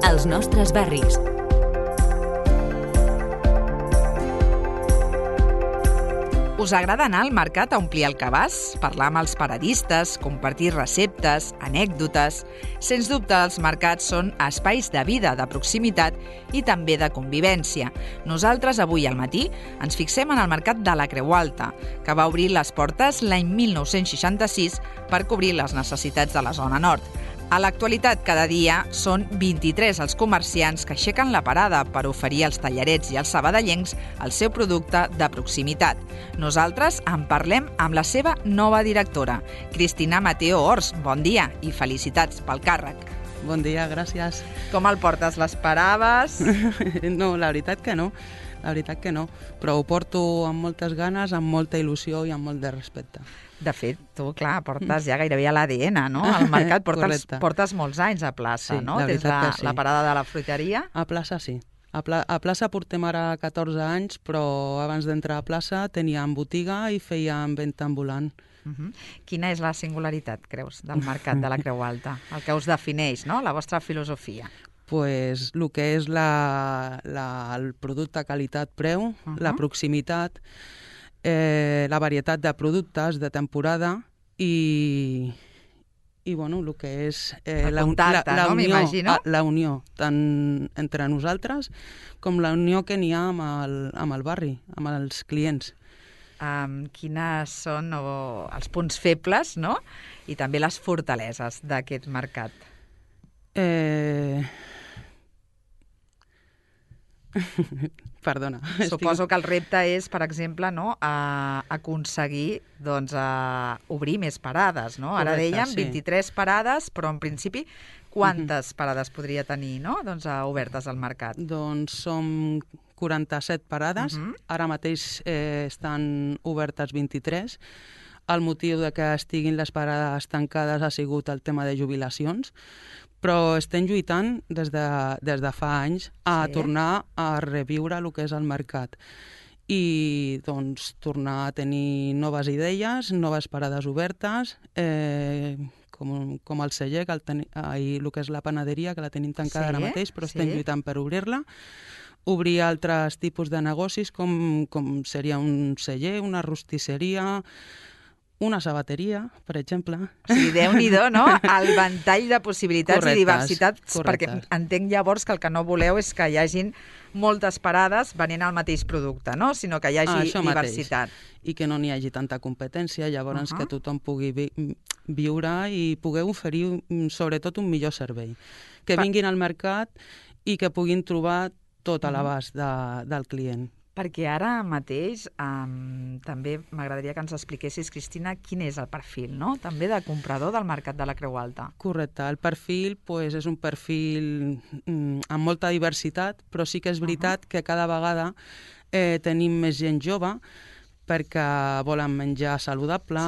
Els nostres barris. Us agrada anar al mercat a omplir el cabàs, parlar amb els paradistes, compartir receptes, anècdotes? Sens dubte, els mercats són espais de vida, de proximitat i també de convivència. Nosaltres, avui al matí, ens fixem en el mercat de la Creu Alta, que va obrir les portes l'any 1966 per cobrir les necessitats de la zona nord. A l'actualitat, cada dia són 23 els comerciants que aixequen la parada per oferir als tallarets i als sabadellencs el seu producte de proximitat. Nosaltres en parlem amb la seva nova directora, Cristina Mateo Ors. Bon dia i felicitats pel càrrec. Bon dia, gràcies. Com el portes? L'esperaves? No, la veritat que no. La veritat que no, però ho porto amb moltes ganes, amb molta il·lusió i amb molt de respecte. De fet, tu, clar, portes ja gairebé a l'ADN, no? Al mercat portes molts anys a plaça, sí, no? Des de sí. la parada de la fruiteria. A plaça sí. A plaça portem ara 14 anys, però abans d'entrar a plaça teníem botiga i fèiem venda ambulant. Quina és la singularitat, creus, del mercat de la Creu Alta? El que us defineix, no? La vostra filosofia. Pues el que és el producte qualitat-preu, la proximitat, la varietat de productes de temporada i bueno, el que és la unió tant entre nosaltres com la unió que n'hi ha amb el barri, amb els clients. Quines són els punts febles, no? I també les fortaleses d'aquest mercat? Perdona. Suposo que el repte és, per exemple, no, aconseguir obrir més parades, no? Ara dèiem 23 parades, però en principi quantes parades podria tenir, no? Obertes al mercat? Doncs som 47 parades, ara mateix estan obertes 23. El motiu de que estiguin les parades tancades ha sigut el tema de jubilacions, però estem lluitant des de fa anys a tornar a reviure el que és el mercat i tornar a tenir noves idees, noves parades obertes, com el celler, i el que és la panaderia, que la tenim tancada ara mateix, però estem lluitant per obrir-la. Obrir altres tipus de negocis, com seria un celler, una rostisseria, una sabateria, per exemple. O sigui, Déu-n'hi-do, no? El ventall de possibilitats i diversitats, perquè entenc llavors que el que no voleu és que hi hagin moltes parades venent el mateix producte, no? Sinó que hi hagi diversitat. I que no n'hi hagi tanta competència, llavors que tothom pugui viure i poder oferir sobretot un millor servei. Que vinguin al mercat i que puguin trobar tot a l'abast del client. Perquè ara mateix també m'agradaria que ens expliquessis, Cristina, quin és el perfil, no? També de comprador del mercat de la Creu Alta. Correcte. El perfil és un perfil amb molta diversitat, però sí que és veritat que cada vegada tenim més gent jove perquè volen menjar saludable,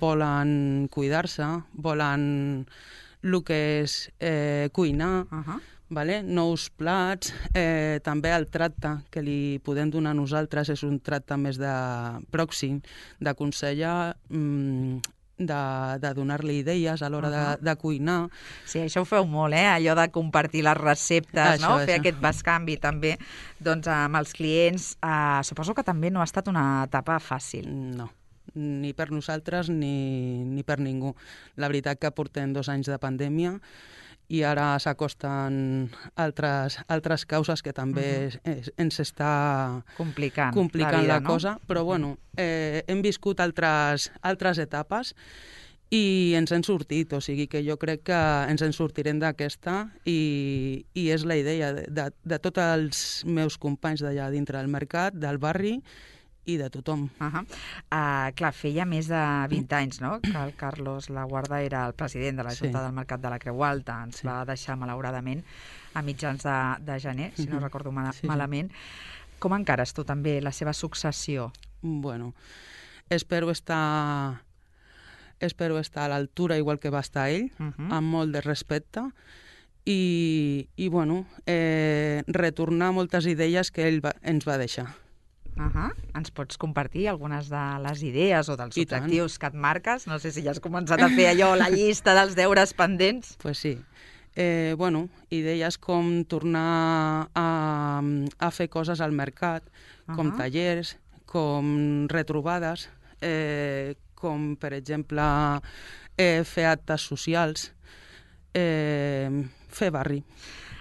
volen cuidar-se, volen el que és cuinar, nous plats, també el tracte que li podem donar a nosaltres és un tracte més pròxim, d'aconsellar, de donar-li idees a l'hora de cuinar. Sí, això ho feu molt, allò de compartir les receptes, fer aquest bescanvi també amb els clients. Suposo que també no ha estat una etapa fàcil. No, ni per nosaltres ni per ningú. La veritat que portem 2 anys de pandèmia i ara s'acosten altres causes que també ens està complicant la cosa, però bueno, hem viscut altres etapes i ens hem sortit, o sigui que jo crec que ens en sortirem d'aquesta i és la idea de tots els meus companys d'allà dintre del mercat, del barri i de tothom. Clar, feia més de 20 anys, no?, que el Carlos Laguarda era el president de la Junta del Mercat de la Creu Alta. Ens va deixar, malauradament, a mitjans de gener, si no recordo malament. Com encares tu també la seva successió? Bueno, espero estar a l'altura igual que va estar ell, amb molt de respecte, i bueno, retornar moltes idees que ell ens va deixar. Ens pots compartir algunes de les idees o dels objectius que et marques? No sé si ja has començat a fer allò, la llista dels deures pendents. Pues sí. Idees com tornar a fer coses al mercat, com tallers, com retrobades, com, per exemple, fer actes socials, fer barri.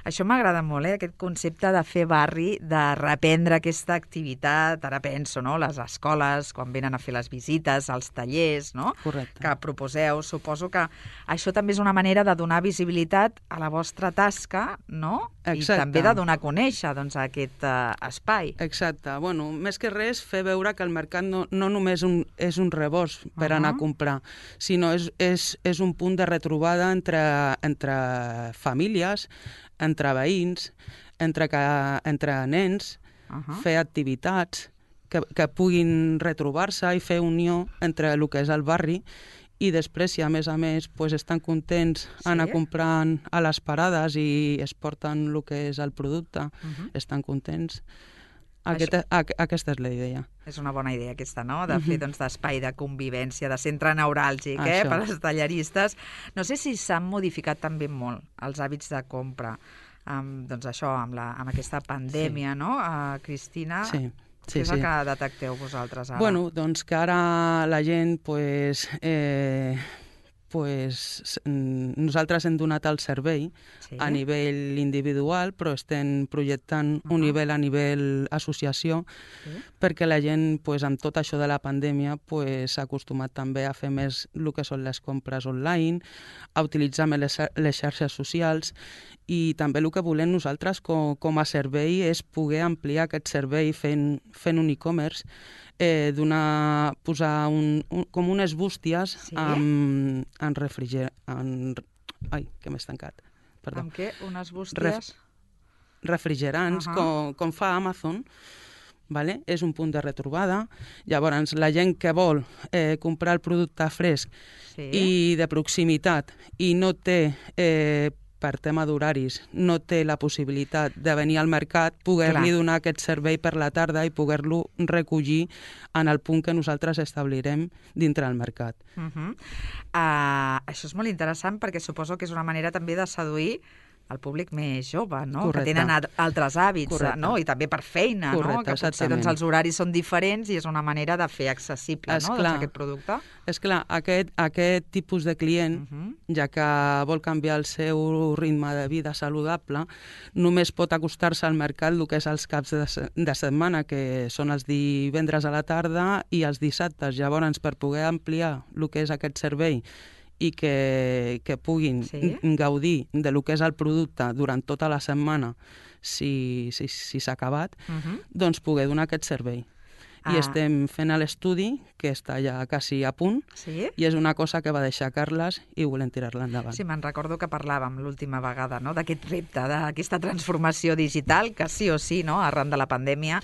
Això m'agrada molt, aquest concepte de fer barri, de reprendre aquesta activitat. Ara penso, no?, les escoles, quan venen a fer les visites, els tallers, no?, correcte, que proposeu. Suposo que això també és una manera de donar visibilitat a la vostra tasca, no? Exacte. I també de donar a conèixer aquest espai. Exacte. Més que res, fer veure que el mercat no només és un rebost per anar a comprar, sinó és un punt de retrobada entre famílies, entre veïns, entre nens, fer activitats que puguin retrobar-se i fer unió entre el que és el barri, i després, si a més estan contents anar comprant a les parades i es porten el que és el producte, estan contents. Aquesta és la idea. És una bona idea aquesta, no?, de fer d'espai de convivència, de centre neuràlgic per als talleristes. No sé si s'han modificat també molt els hàbits de compra, amb aquesta pandèmia, no, Cristina? Sí. Què és el que detecteu vosaltres ara? Doncs que ara la gent, nosaltres hem donat el servei a nivell individual, però estem projectant un nivell a nivell associació, perquè la gent, amb tot això de la pandèmia, s'ha acostumat també a fer més el que són les compres online, a utilitzar més les xarxes socials, i també el que volem nosaltres com a servei és poder ampliar aquest servei fent un e-commerce, posar com unes bústies en refrigerant... Ai, que m'he estancat. Perdó. Amb què? Unes bústies? Refrigerants, com fa Amazon. És un punt de retrobada. Llavors, la gent que vol comprar el producte fresc i de proximitat i no té... per tema d'horaris, no té la possibilitat de venir al mercat, poder-li donar aquest servei per la tarda i poder-lo recollir en el punt que nosaltres establirem dintre del mercat. Això és molt interessant perquè suposo que és una manera també de seduir el públic més jove, no? Correcte. Que tenen altres hàbits, Correcte. no? I també per feina, Correcte, no? Que potser els horaris són diferents i és una manera de fer accessible aquest producte. És clar, aquest tipus de client, ja que vol canviar el seu ritme de vida saludable, només pot acostar-se al mercat el que és els caps de setmana, que són els divendres a la tarda i els dissabtes. Llavors, per poder ampliar el que és aquest servei i que puguin gaudir de lo que és el producte durant tota la setmana, si s'ha acabat, doncs poder donar aquest servei. I estem fent l'estudi, que està ja quasi a punt, i és una cosa que va deixar Carles i volem tirar-la endavant. Sí, me'n recordo que parlàvem l'última vegada, no?, d'aquest repte, d'aquesta transformació digital, que sí o sí, no?, arran de la pandèmia,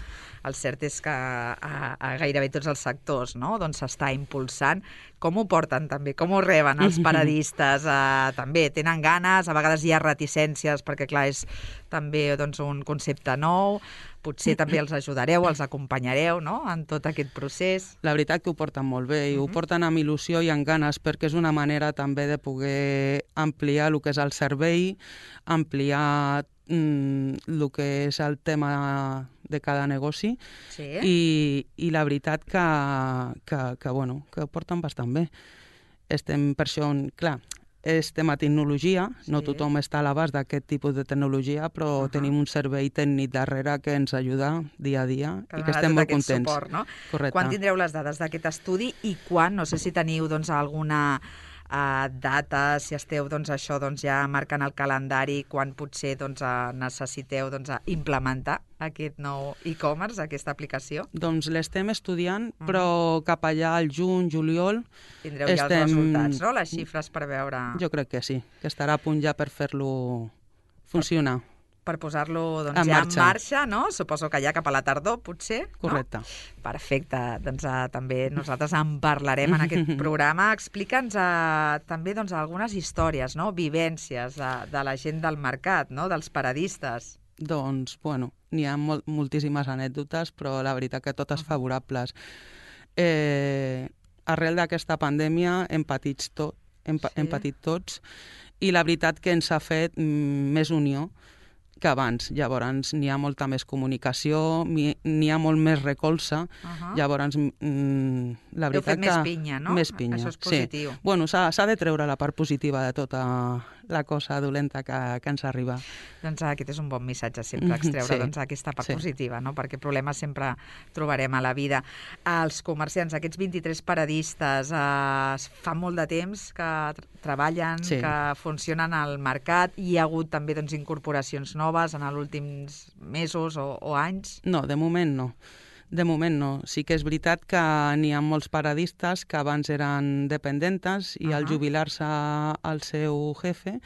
el cert és que a gairebé tots els sectors, no?, doncs s'està impulsant. Com ho porten també? Com ho reben els paradistes? També tenen ganes? A vegades hi ha reticències perquè, clar, és també un concepte nou. Potser també els ajudareu, els acompanyareu, no?, en tot aquest procés. La veritat que ho porten molt bé i ho porten amb il·lusió i amb ganes, perquè és una manera també de poder ampliar el que és el servei, ampliar el que és el tema de cada negoci i la veritat que ho porten bastant bé. Estem per això, clar, és tema tecnologia, no tothom està a l'abast d'aquest tipus de tecnologia, però tenim un servei tècnic darrere que ens ajuda dia a dia i que estem molt contents. Suport, no? Correcte. Quan tindreu les dades d'aquest estudi i quan? No sé si teniu alguna data, si esteu ja marcant el calendari, quan potser necessiteu implementar aquest nou e-commerce, aquesta aplicació? Doncs l'estem estudiant, però cap allà al juny, juliol... Tindreu ja els resultats, no? Les xifres per veure... Jo crec que sí, que estarà a punt ja per fer-lo funcionar. Per posar-lo ja en marxa, no? Suposo que ja cap a la tardor, potser. Correcte. No? Perfecte. Doncs també nosaltres en parlarem en aquest programa. Explica'ns també algunes històries, no?, vivències de la gent del mercat, no?, dels paradistes. Doncs, n'hi ha moltíssimes anècdotes, però la veritat que totes favorables. Arrel d'aquesta pandèmia hem patit hem patit tots, i la veritat que ens ha fet més unió que abans. Llavors n'hi ha molta més comunicació, n'hi ha molt més recolza, llavors la veritat que... Heu fet més pinya, no? Més pinya, això és positiu. Sí. Bueno, s'ha de treure la part positiva de tota la cosa dolenta que ens arriba. Doncs aquest és un bon missatge, sempre extreure aquesta part positiva, no? Perquè problemes sempre trobarem a la vida. Els comerciants, aquests 23 paradistes, fa molt de temps que treballen, que funcionen al mercat, i hi ha hagut també incorporacions noves en els últims mesos o anys? No, de moment no. De moment no. Sí que és veritat que n'hi ha molts paradistes que abans eren dependentes i al jubilar-se el seu jefe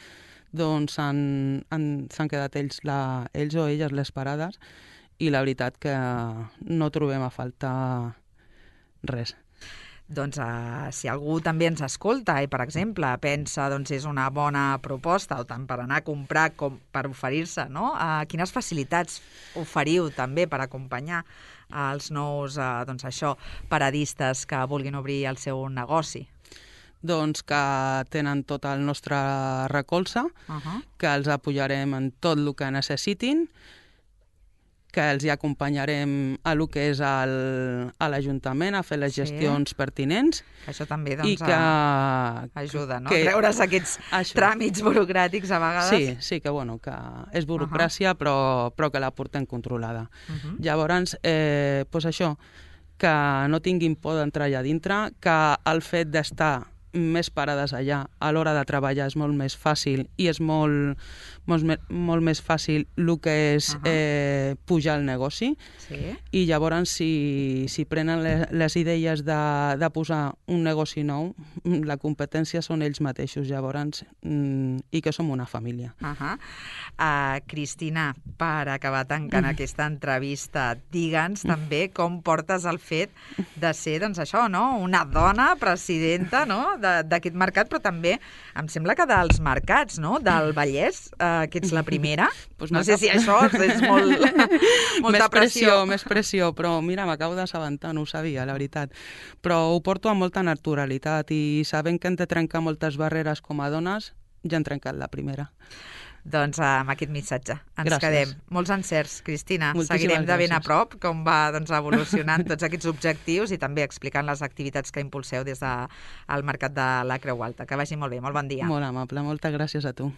doncs s'han quedat ells o elles les parades, i la veritat que no trobem a faltar res. Doncs si algú també ens escolta i, per exemple, pensa és una bona proposta, o tant per anar a comprar com per oferir-se, no? Quines facilitats oferiu també per acompanyar els nous paradistes que vulguin obrir el seu negoci? Doncs que tenen tot el nostre recolza, que els apoyarem en tot el que necessitin, que els hi acompanyarem a lo que és a l'Ajuntament a fer les gestions pertinents. Això també ajuda, no? Que treure's aquests tràmits burocràtics a vegades. Sí, que és burocràcia, però que la portem controlada. Llavors, això, que no tinguin por d'entrar allà dintre, que el fet d'estar més parades allà a l'hora de treballar és molt més fàcil, i és molt més fàcil el que és pujar el negoci, i llavors si prenen les idees de posar un negoci nou, la competència són ells mateixos, llavors, i que som una família. Cristina, per acabar tancant aquesta entrevista, digue'ns també com portes el fet de ser, una dona presidenta, no?, d'aquest mercat, però també em sembla que dels mercats, no?, del Vallès, que ets la primera. No sé si això és molta pressió. Més pressió, però mira, m'acabo d'assabentar, no ho sabia, la veritat. Però ho porto amb molta naturalitat, i sabent que hem de trencar moltes barreres com a dones, ja hem trencat la primera. Doncs amb aquest missatge ens quedem. Molts encerts, Cristina. Seguirem de ben a prop com va evolucionant tots aquests objectius, i també explicant les activitats que impulseu des del Mercat de la Creu Alta. Que vagi molt bé, molt bon dia. Molt amable, moltes gràcies a tu.